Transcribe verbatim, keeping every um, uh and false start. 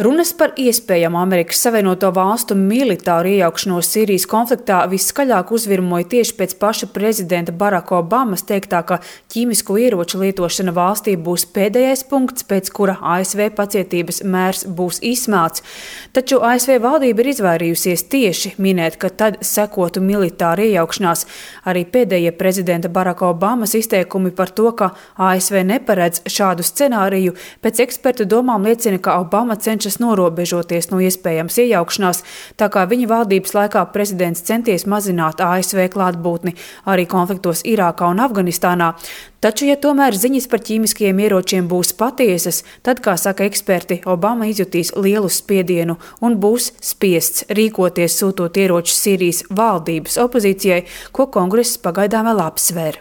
Runas par iespējamu Amerikas Savienoto Valstu militāru iejaukšanos Sīrijas konfliktā viskaļāk uzvirmoja tieši pēc paša prezidenta Baraka Obamas teiktā, ka ķīmisko ieroču lietošana valstī būs pēdējais punkts, pēc kura A S V pacietības mērs būs izsmelts. Taču A S V valdība ir izvairījusies tieši minēt, ka tad sekotu militāra iejaukšanās. Arī pēdējie prezidenta Baraka Obamas izteikumi par to, ka A S V neparedz šādu scenāriju, pēc ekspertu domām liecina, ka Obama cenšas norobežoties no iespējams iejaukšanās, tā kā viņa valdības laikā prezidents centies mazināt A S V klātbūtni arī konfliktos Irākā un Afganistānā. Taču, ja tomēr ziņas par ķīmiskajiem ieročiem būs patiesas, tad, kā saka eksperti, Obama izjutīs lielu spiedienu un būs spiests rīkoties, sūtot ieročus Sīrijas valdības opozīcijai, ko kongress pagaidām vēl apsver.